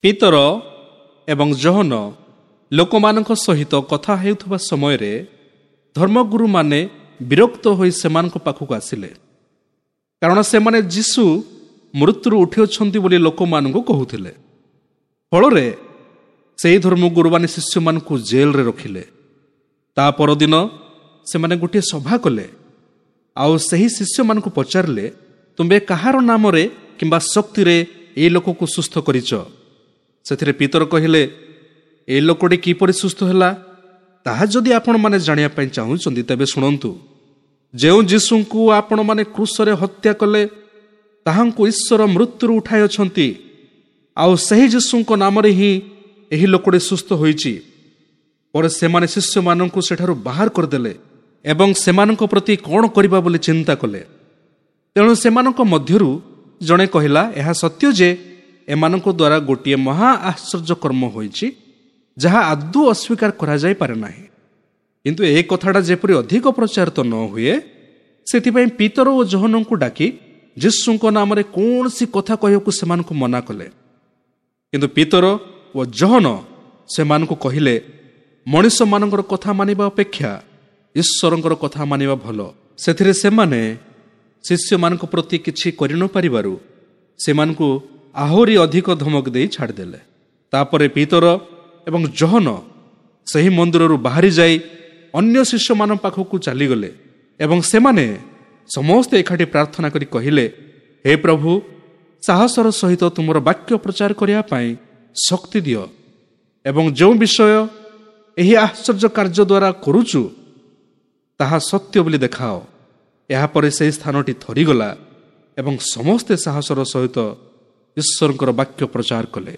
ପିତର ଏବଂ ଯୋହନ ଲୋକମାନଙ୍କ ସହିତ କଥା ହେଉଥିବା ସମୟରେ ଧର୍ମଗୁରୁମାନେ ବିରକ୍ତ ହୋଇ ସେମାନଙ୍କ ପାଖକୁ ଆସିଲେ, କାରଣ ସେମାନେ ଯୀଶୁ ମୃତ୍ୟୁରୁ ଉଠିଅଛନ୍ତି ବୋଲି ଲୋକମାନଙ୍କୁ କହୁଥିଲେ। ଫଳରେ ସେହି ଧର୍ମଗୁରୁମାନେ ଶିଷ୍ୟମାନଙ୍କୁ ଜେଲରେ ରଖିଲେ। ତା ପରଦିନ ସେମାନେ ଗୋଟିଏ ସଭା କଲେ ଆଉ ସେହି ଶିଷ୍ୟମାନଙ୍କୁ ପଚାରିଲେ, ତୁମ୍ଭେ କାହାର ନାମରେ କିମ୍ବା ଶକ୍ତିରେ ଏଇ ଲୋକକୁ ସୁସ୍ଥ କରିଛ? ସେଥିରେ ପିତର କହିଲେ, ଏ ଲୋକଟି କିପରି ସୁସ୍ଥ ହେଲା ତାହା ଯଦି ଆପଣମାନେ ଜାଣିବା ପାଇଁ ଚାହୁଁଛନ୍ତି ତେବେ ଶୁଣନ୍ତୁ। ଯେଉଁ ଯୀଶୁଙ୍କୁ ଆପଣମାନେ କ୍ରୁଶରେ ହତ୍ୟା କଲେ ତାହାଙ୍କୁ ଈଶ୍ୱର ମୃତ୍ୟୁରୁ ଉଠାଇଅଛନ୍ତି, ଆଉ ସେହି ଯୀଶୁଙ୍କ ନାମରେ ହିଁ ଏହି ଲୋକଟି ସୁସ୍ଥ ହୋଇଛି। ପରେ ସେମାନେ ଶିଷ୍ୟମାନଙ୍କୁ ସେଠାରୁ ବାହାର କରିଦେଲେ ଏବଂ ସେମାନଙ୍କ ପ୍ରତି କ'ଣ କରିବା ବୋଲି ଚିନ୍ତା କଲେ। ତେଣୁ ସେମାନଙ୍କ ମଧ୍ୟରୁ ଜଣେ କହିଲା, ଏହା ସତ୍ୟ ଯେ ଏମାନଙ୍କ ଦ୍ୱାରା ଗୋଟିଏ ମହା ଆଶ୍ଚର୍ଯ୍ୟ କର୍ମ ହୋଇଛି, ଯାହା ଆଦୌ ଅସ୍ୱୀକାର କରାଯାଇପାରେ ନାହିଁ। କିନ୍ତୁ ଏ କଥାଟା ଯେପରି ଅଧିକ ପ୍ରଚାରିତ ନ ହୁଏ, ସେଥିପାଇଁ ପିତର ଓ ଯୋହନଙ୍କୁ ଡାକି ଯୀଶୁଙ୍କ ନାମରେ କୌଣସି କଥା କହିବାକୁ ସେମାନଙ୍କୁ ମନା କଲେ। କିନ୍ତୁ ପିତର ଓ ଯୋହନ ସେମାନଙ୍କୁ କହିଲେ, ମଣିଷମାନଙ୍କର କଥା ମାନିବା ଅପେକ୍ଷା ଈଶ୍ୱରଙ୍କର କଥା ମାନିବା ଭଲ। ସେଥିରେ ସେମାନେ ଶିଷ୍ୟମାନଙ୍କ ପ୍ରତି କିଛି କରିନପାରିବାରୁ ସେମାନଙ୍କୁ ଆହୁରି ଅଧିକ ଧମକ ଦେଇ ଛାଡ଼ିଦେଲେ। ତାପରେ ପିତର ଏବଂ ଯୋହନ ସେହି ମନ୍ଦିରରୁ ବାହାରି ଯାଇ ଅନ୍ୟ ଶିଷ୍ୟମାନଙ୍କ ପାଖକୁ ଚାଲିଗଲେ ଏବଂ ସେମାନେ ସମସ୍ତେ ଏକାଠି ପ୍ରାର୍ଥନା କରି କହିଲେ, ହେ ପ୍ରଭୁ, ସାହସର ସହିତ ତୁମର ବାକ୍ୟ ପ୍ରଚାର କରିବା ପାଇଁ ଶକ୍ତି ଦିଅ ଏବଂ ଯେଉଁ ବିଷୟ ଏହି ଆଶ୍ଚର୍ଯ୍ୟ କାର୍ଯ୍ୟ ଦ୍ୱାରା କରୁଛୁ ତାହା ସତ୍ୟ ବୋଲି ଦେଖାଅ। ଏହାପରେ ସେହି ସ୍ଥାନଟି ଥରିଗଲା ଏବଂ ସମସ୍ତେ ସାହସର ସହିତ ଈଶ୍ୱରଙ୍କର ବାକ୍ୟ ପ୍ରଚାର କଲେ।